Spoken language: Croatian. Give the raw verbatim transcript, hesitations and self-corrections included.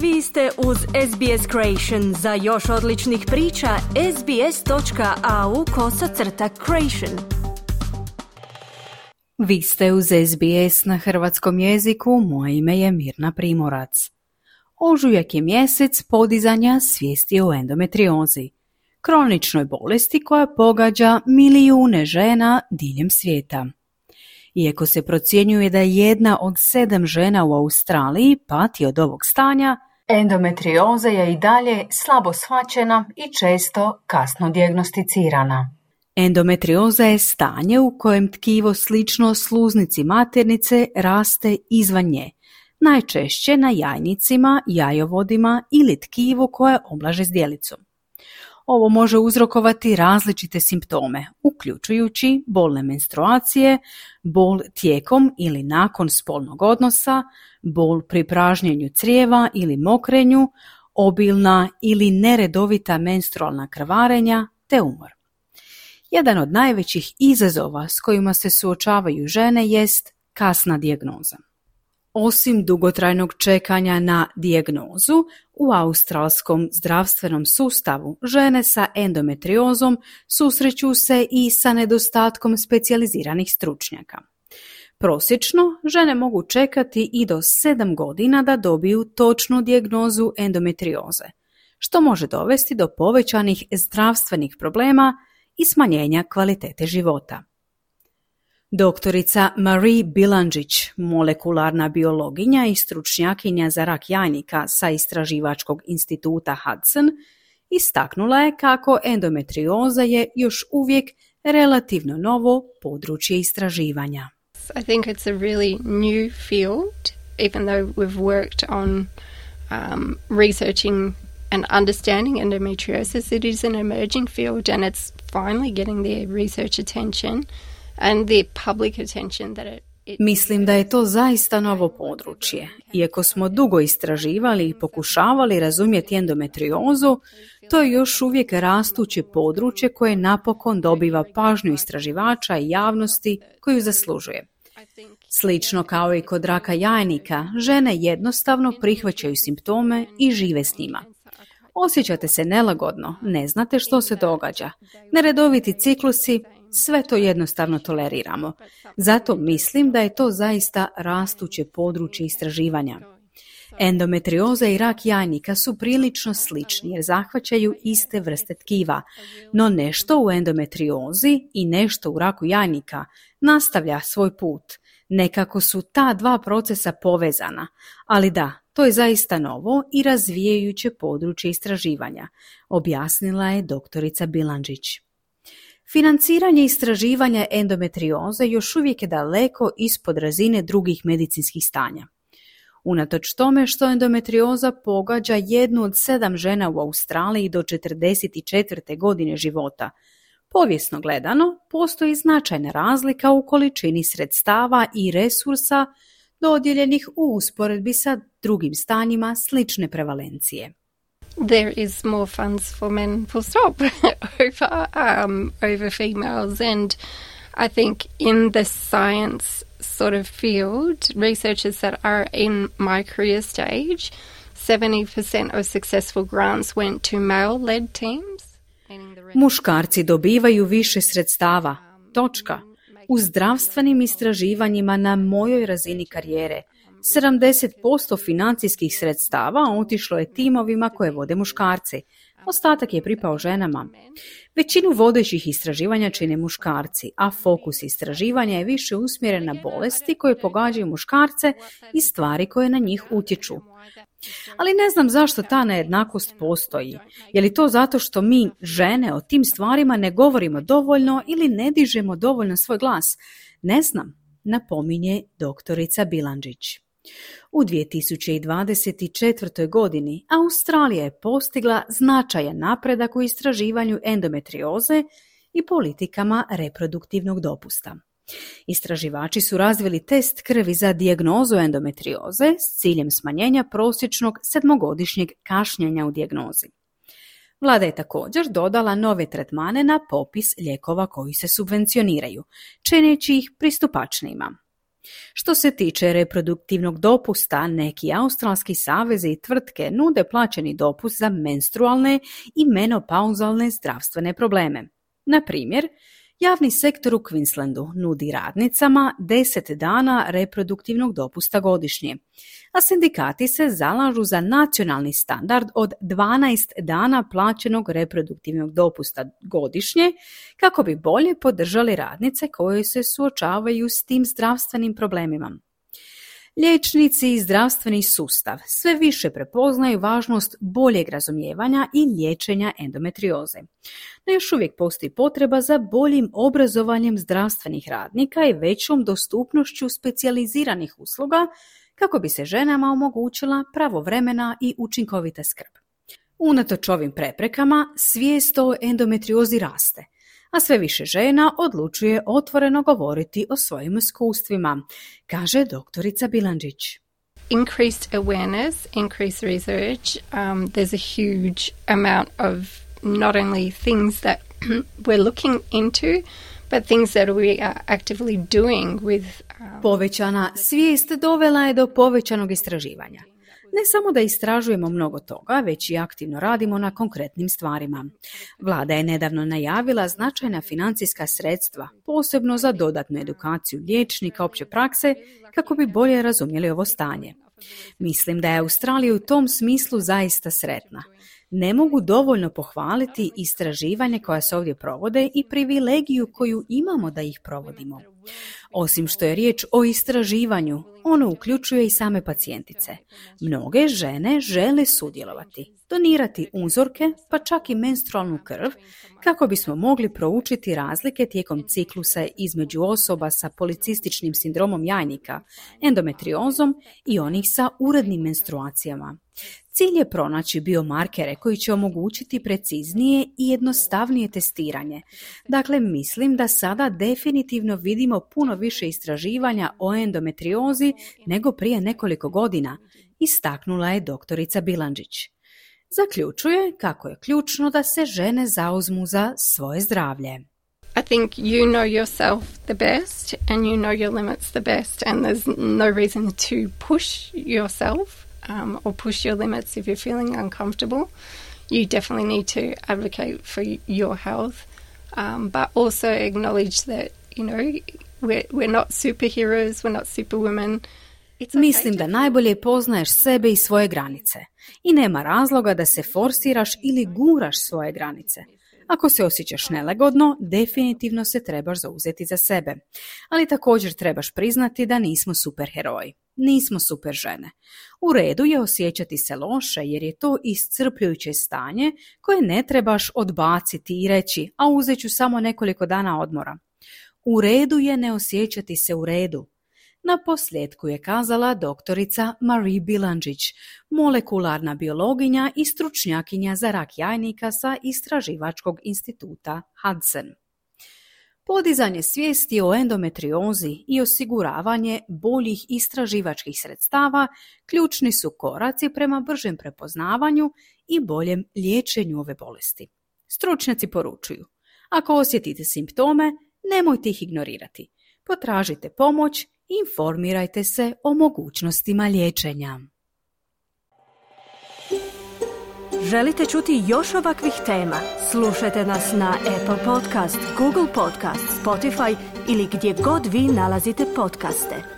Vi ste uz S B S Creation. Za još odličnih priča, sbs.au kosacrta creation. Vi ste uz S B S na hrvatskom jeziku, moje ime je Mirna Primorac. Ožujak je mjesec podizanja svijesti o endometriozi, kroničnoj bolesti koja pogađa milijune žena diljem svijeta. Iako se procjenjuje da jedna od sedam žena u Australiji pati od ovog stanja, endometrioza je i dalje slabo shvaćena i često kasno dijagnosticirana. Endometrioza je stanje u kojem tkivo slično sluznici maternice raste izvan nje, najčešće na jajnicima, jajovodima ili tkivu koje oblaže zdjelicom. Ovo može uzrokovati različite simptome, uključujući bolne menstruacije, bol tijekom ili nakon spolnog odnosa, bol pri pražnjenju crijeva ili mokrenju, obilna ili neredovita menstrualna krvarenja te umor. Jedan od najvećih izazova s kojima se suočavaju žene jest kasna dijagnoza. Osim dugotrajnog čekanja na dijagnozu, u australskom zdravstvenom sustavu žene sa endometriozom susreću se i sa nedostatkom specijaliziranih stručnjaka. Prosječno, žene mogu čekati i do sedam godina da dobiju točnu dijagnozu endometrioze, što može dovesti do povećanih zdravstvenih problema i smanjenja kvalitete života. Doktorica Marie Bilandžić, molekularna biologinja i stručnjakinja za rak jajnika sa istraživačkog instituta Hudson, istaknula je kako endometrioza je još uvijek relativno novo područje istraživanja. I think it's a really new field, even though we've worked on um, researching and understanding endometriosis. It is an emerging field and it's finally getting the research attention and the public attention that it, it Mislim da je to zaista novo područje. Iako smo dugo istraživali i pokušavali razumjeti endometriozu, to je još uvijek rastuće područje koje napokon dobiva pažnju istraživača i javnosti koju zaslužuje. Slično kao i kod raka jajnika, žene jednostavno prihvaćaju simptome i žive s njima. Osjećate se nelagodno, ne znate što se događa. Neredoviti ciklusi, sve to jednostavno toleriramo. Zato mislim da je to zaista rastuće područje istraživanja. Endometrioza i rak jajnika su prilično slični jer zahvaćaju iste vrste tkiva, no nešto u endometriozi i nešto u raku jajnika nastavlja svoj put. Nekako su ta dva procesa povezana, ali da, to je zaista novo i razvijajuće područje istraživanja, objasnila je doktorica Bilandžić. Financiranje istraživanja endometrioze još uvijek je daleko ispod razine drugih medicinskih stanja. Unatoč tome što endometrioza pogađa jednu od sedam žena u Australiji do četrdeset četvrte godine života, povijesno gledano postoji značajna razlika u količini sredstava i resursa dodijeljenih u usporedbi sa drugim stanjima slične prevalencije. there is more funds for men, full stop, over, um, over females. And I think in the science sort of field, researchers that are in my career stage, seventy percent of successful grants went to male-led teams. Muškarci dobivaju više sredstava. Točka. U zdravstvenim istraživanjima na mojoj razini karijere sedamdeset posto financijskih sredstava otišlo je timovima koje vode muškarci. Ostatak je pripao ženama. Većinu vodećih istraživanja čine muškarci, a fokus istraživanja je više usmjeren na bolesti koje pogađaju muškarce i stvari koje na njih utječu. Ali ne znam zašto ta nejednakost postoji. Je li to zato što mi, žene, o tim stvarima ne govorimo dovoljno ili ne dižemo dovoljno svoj glas? Ne znam, napominje doktorica Bilandžić. U dvije tisuće dvadeset četvrtoj. godini Australija je postigla značajan napredak u istraživanju endometrioze i politikama reproduktivnog dopusta. Istraživači su razvili test krvi za dijagnozu endometrioze s ciljem smanjenja prosječnog sedmogodišnjeg kašnjenja u dijagnozi. Vlada je također dodala nove tretmane na popis lijekova koji se subvencioniraju, čineći ih pristupačnijima. Što se tiče reproduktivnog dopusta, neki australski savezi i tvrtke nude plaćeni dopust za menstrualne i menopauzalne zdravstvene probleme. Na primjer, javni sektor u Queenslandu nudi radnicama deset dana reproduktivnog dopusta godišnje, a sindikati se zalažu za nacionalni standard od dvanaest dana plaćenog reproduktivnog dopusta godišnje kako bi bolje podržali radnice koje se suočavaju s tim zdravstvenim problemima. Liječnici i zdravstveni sustav sve više prepoznaju važnost boljeg razumijevanja i liječenja endometrioze. No još uvijek postoji potreba za boljim obrazovanjem zdravstvenih radnika i većom dostupnošću specijaliziranih usluga kako bi se ženama omogućila pravovremena i učinkovita skrb. Unatoč ovim preprekama, svijest o endometriozi raste, a sve više žena odlučuje otvoreno govoriti o svojim iskustvima, kaže doktorica Bilandžić. Increased awareness, increased research, um, there's a huge amount of not only things that we're looking into, but things that we are actively doing with... Um, Povećana svijest dovela je do povećanog istraživanja. Ne samo da istražujemo mnogo toga, već i aktivno radimo na konkretnim stvarima. Vlada je nedavno najavila značajna financijska sredstva, posebno za dodatnu edukaciju liječnika opće prakse, kako bi bolje razumjeli ovo stanje. Mislim da je Australija u tom smislu zaista sretna. Ne mogu dovoljno pohvaliti istraživanje koja se ovdje provode i privilegiju koju imamo da ih provodimo. Osim što je riječ o istraživanju, ono uključuje i same pacijentice. Mnoge žene žele sudjelovati, donirati uzorke, pa čak i menstrualnu krv, kako bismo mogli proučiti razlike tijekom ciklusa između osoba sa policističnim sindromom jajnika, endometriozom i onih sa urednim menstruacijama. Cilj je pronaći biomarkere koji će omogućiti preciznije i jednostavnije testiranje. Dakle, mislim da sada definitivno vidimo puno više istraživanja o endometriozi nego prije nekoliko godina, istaknula je doktorica Bilandžić. Zaključuje kako je ključno da se žene zauzmu za svoje zdravlje. I think you know yourself the best and you know your limits the best, and there's no reason to push yourself um, or push your limits if you're feeling uncomfortable. You definitely need to advocate for your health, um, but also acknowledge that, you know, we're, we're not superheroes, we're not superwomen. Okay. Mislim da najbolje poznaješ sebe i svoje granice i nema razloga da se forsiraš ili guraš svoje granice. Ako se osjećaš nelagodno, definitivno se trebaš zauzeti za sebe. Ali također trebaš priznati da nismo superheroji. Nismo super žene. U redu je osjećati se loše jer je to iscrpljujuće stanje koje ne trebaš odbaciti i reći, a uzet ću samo nekoliko dana odmora. U redu je ne osjećati se u redu. Na posljedku je kazala doktorica Marie Bilandžić, molekularna biologinja i stručnjakinja za rak jajnika sa Istraživačkog instituta Hudson. Podizanje svijesti o endometriozi i osiguravanje boljih istraživačkih sredstava ključni su koraci prema bržem prepoznavanju i boljem liječenju ove bolesti. Stručnjaci poručuju, ako osjetite simptome, nemojte ih ignorirati. Potražite pomoć, informirajte se o mogućnostima liječenja. Želite čuti još ovakvih tema? Slušajte nas na Apple Podcast, Google Podcast, Spotify ili gdje god vi nalazite podcaste.